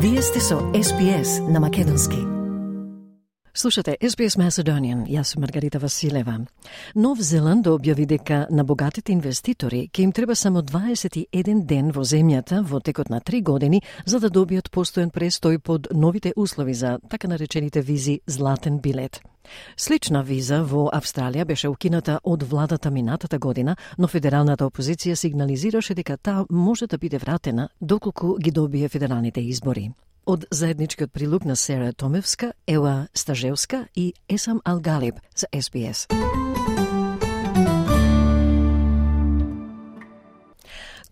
Вие сте со SBS на македонски. Слушате SBS Macedonian, јас сум Маргарита Василева. Нов Зеланд објави дека на богатите инвеститори ќе им треба само 21 ден во земјата во текот на 3 години за да добијат постојан престој под новите услови за така наречените визи златен билет. Слична виза во Австралија беше укината од владата минатата година, но федералната опозиција сигнализираше дека таа може да биде вратена доколку ги добие федералните избори. Од заедничкиот прилог на Сера Томевска, Ева Стажевска и Есам Алгалиб за SBS.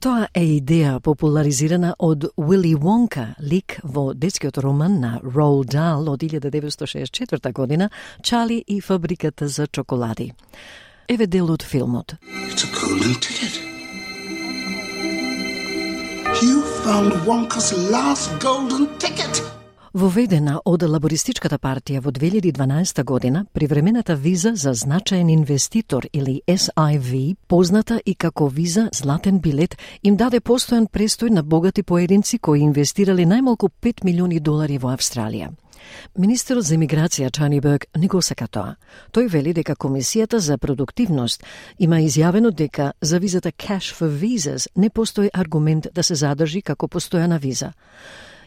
Тоа е идеја популаризирана од Уили Вонка, лик во детскиот роман на Роald Dahl од 1964 година, Чарли и фабриката за чоколади. Еве дел од филмот. It's a golden ticket. You found Wonka's last golden ticket. Воведена од лабористичката партија во 2012 година, привремената виза за значаен инвеститор или SIV, позната и како виза златен билет, им даде постојан престој на богати поединци кои инвестирале најмалку $5 милиони во Австралија. Министерот за емиграција Тони Бурк не го сака тоа. Тој вели дека Комисијата за продуктивност има изјавено дека за визата Cash for Visas не постои аргумент да се задржи како постојана виза.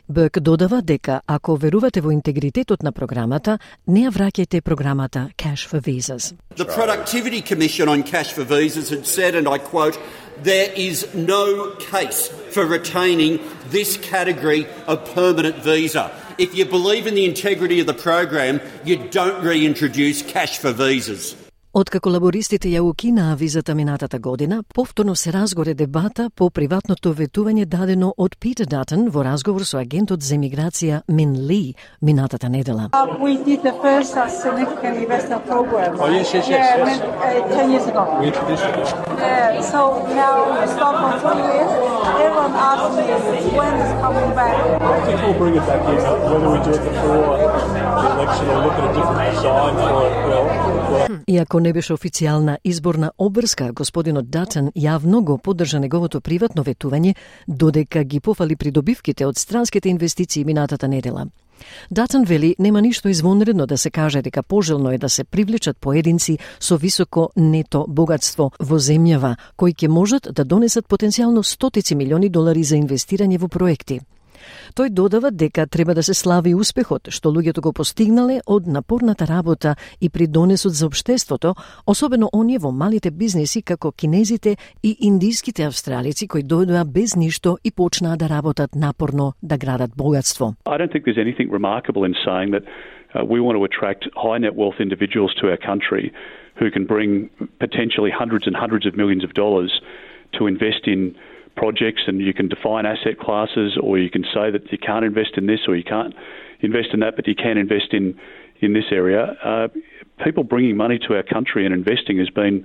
Бурк додава дека ако верувате во интегритетот на програмата, не ја враќајте програмата Cash for Visas. The Productivity Commission on Cash for Visas had said, and I quote, "There is no case for retaining this category of permanent visa. If you believe in the integrity of the program, you don't reintroduce cash for visas." Откако лабористите ја укинаа визата минатата година, повторно се разгоре дебата по приватното ветување дадено од Питер Датон во разговор со агентот за емиграција Min Lee минатата недела. We did the first significant investor program. Oh, yes. 10 years ago. We introduced it. Yeah, so now we stop for 2 years. Everyone asks me when it's coming back. I think we'll bring it back in, whether we do it before the election or look at a different design for it. Иако не беше официјална изборна обврска, господинот Датон јавно го поддржа неговото приватно ветување, додека ги пофали придобивките од странските инвестиции минатата недела. Датон вели нема ништо извонредно да се каже дека пожелно е да се привлечат поединци со високо нето богатство во земјава, кои ќе можат да донесат потенцијално $100 милиони за инвестирање во проекти. Тој додава дека треба да се слави успехот што луѓето го постигнале од напорната работа и придонесот за општеството, особено оние во малите бизнеси како кинезите и индиските австралици кои дојдоа без ништо и почнаа да работат напорно да градат богатство. I don't think there's anything remarkable in saying that we want to attract high net wealth individuals to our country who can bring potentially hundreds and hundreds of millions of dollars to invest in projects, and you can define asset classes, or you can say that you can't invest in this or you can't invest in that, but you can invest in this area. People bringing money to our country and investing has been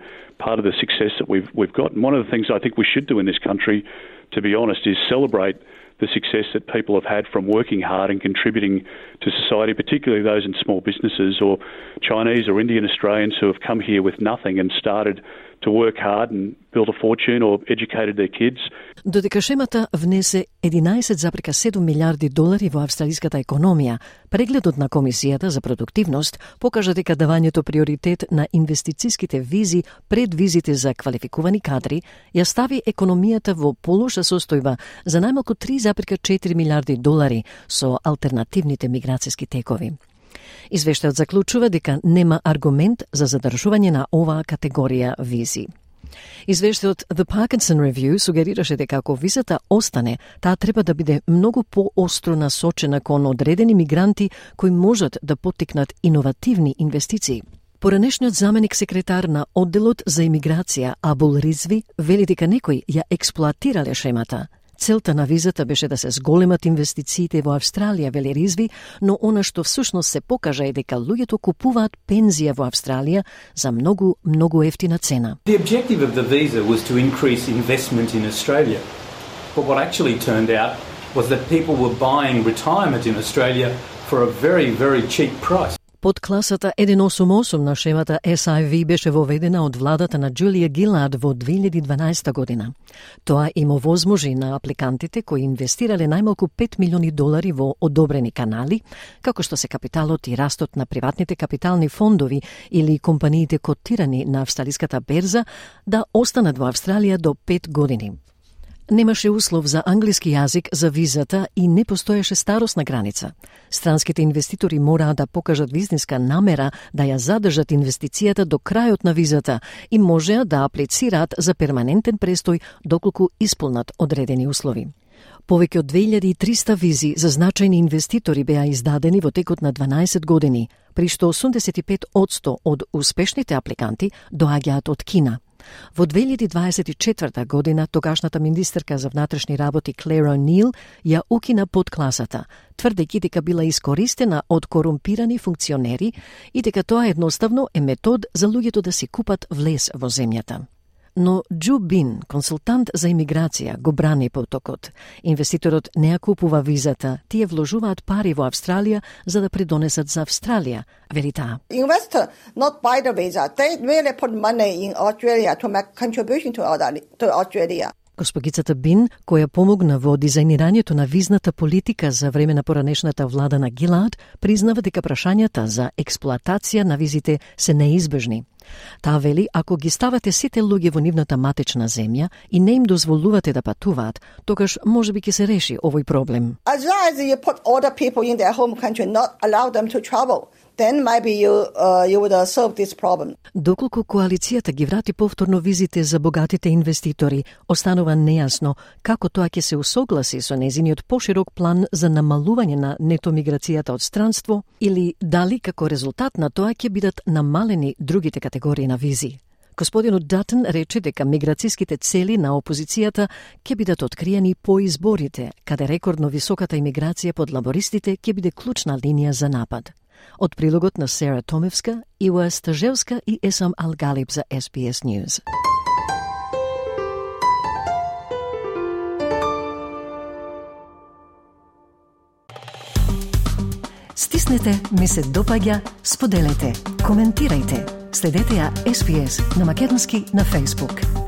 part of the success that we've got. And one of the things I think we should do in this country, to be honest, is celebrate the success that people have had from working hard and contributing to society, particularly those in small businesses or Chinese or Indian Australians who have come here with nothing and started to work hard and build a fortune or educated their kids. Додека шемата внесе $11,7 милиарди во австралиската економија, прегледот на Комисијата за продуктивност покажа дека давањето приоритет на инвестициските визи пред визите за квалификувани кадри ја стави економијата во полоша состојба за најмалку $3,4 милиарди со алтернативните миграцијски текови. Извештајот заклучува дека нема аргумент за задржување на оваа категорија визи. Извештајот The Parkinson Review сугерираше дека ако визата остане, таа треба да биде многу поостро насочена кон одредени мигранти кои можат да поттикнат иновативни инвестиции. Поранешниот заменик секретар на одделот за имиграција Абул Ризви вели дека некои ја експлоатирале шемата. Целта на визата беше да се зголемат инвестициите во Австралија, вели Ризви, но она што всушност се покажа е дека луѓето купуваат пензија во Австралија за многу ефтина цена. The objective of the visa was to increase investment in Australia. But what actually turned out was that people were buying retirement in Australia for a very, very cheap price. Подкласата 188 на шемата SIV беше воведена од владата на Джулија Гилард во 2012 година. Тоа им овозможи на апликантите кои инвестирале најмалку $5 милиони во одобрени канали, како што се капиталот и растот на приватните капитални фондови или компаниите котирани на австралиската берза, да останат во Австралија до 5 години. Немаше услов за англиски јазик за визата и не постоеше старосна граница. Странските инвеститори мораа да покажат визниска намера да ја задржат инвестицијата до крајот на визата и можеа да аплицираат за перманентен престој доколку исполнат одредени услови. Повеќе од 2300 визи за значајни инвеститори беа издадени во текот на 12 години, при што 85% од успешните апликанти доаѓаат од Кина. Во 2024 година тогашната министерка за внатрешни работи Клер О'Нил ја укина подкласата, тврдејќи дека била искористена од корумпирани функционери и дека тоа едноставно е метод за луѓето да си купат влез во земјата. Но Джу Бин, консултант за имиграција, го брани потокот. Инвеститорот не ја купува визата, тие вложуваат пари во Австралија за да придонесат за Австралија, вели таа. Investor not buy the visa, they really put money in Australia to make contribution to Australia. Госпогицата Бин, која помогна во дизајнирањето на визната политика за време на поранешната влада на Гилард, признава дека прашањата за експлоатација на визите се неизбежни. Таа вели, ако ги ставате сите луѓе во нивната матечна земја и не им дозволувате да патуваат, тогаш можеби ќе се реши овој проблем. As long as you put all the people in their home country, not allow them to travel, then maybe you would solve this problem. Доколку коалицијата ги врати повторно визите за богатите инвеститори, останува нејасно како тоа ќе се усогласи со незиниот поширок план за намалување на нето миграцијата од странство или дали како резултат на тоа ќе бидат намалени другите категории на визи. Господинот Датон рече дека миграцијските цели на опозицијата ќе бидат откриени по изборите, каде рекордно високата имиграција под лабористите ќе биде клучна линија за напад. Од прилогот на Сера Томевска, Ива Стажевска и Есам Алгалиб за SBS News. Стиснете, ми се допаѓа, споделете, коментирајте. Следете ја SBS на македонски на Facebook.